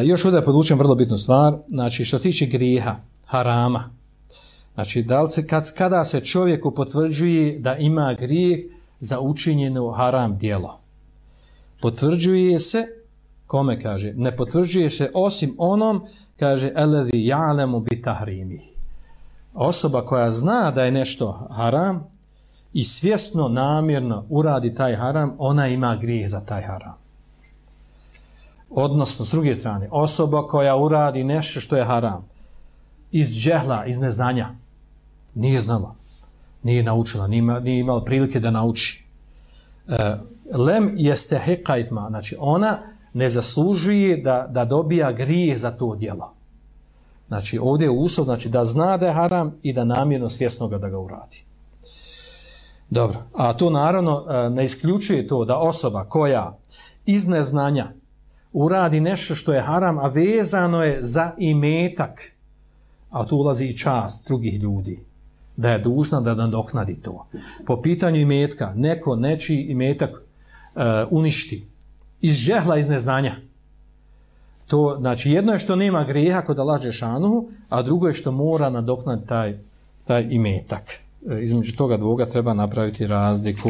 Još ovdje podvučem vrlo bitnu stvar, znači što se tiče grijeha, harama, znači da li se, kada se čovjeku potvrđuje da ima grijeh za učinjeno haram djelo, potvrđuje se, kome kaže, ne potvrđuje se osim onom, kaže, alladhi ya'lamu bi tahrimi, osoba koja zna da je nešto haram i svjesno, namjerno uradi taj haram, ona ima grijeh za taj haram. Odnosno, s druge strane, osoba koja uradi nešto što je haram, iz džehla, iz neznanja, nije znala, nije naučila, nije imala prilike da nauči. Lem jestehiqa ithma, znači ona ne zaslužuje da dobija grijeh za to djelo. Znači ovdje je uslov, znači da zna da je haram i da namjerno svjesno da ga uradi. Dobro, a to naravno ne isključuje to da osoba koja iz neznanja uradi nešto što je haram, a vezano je za imetak, a tu ulazi i čast drugih ljudi, da je dužna da nadoknadi to. Po pitanju imetka, neko nečiji imetak uništi iz džehla, iz neznanja. To, znači, jedno je što nema grijeha kod Allaha dželešanuhu, a drugo je što mora nadoknaditi taj imetak. Između toga dvoga treba napraviti razliku.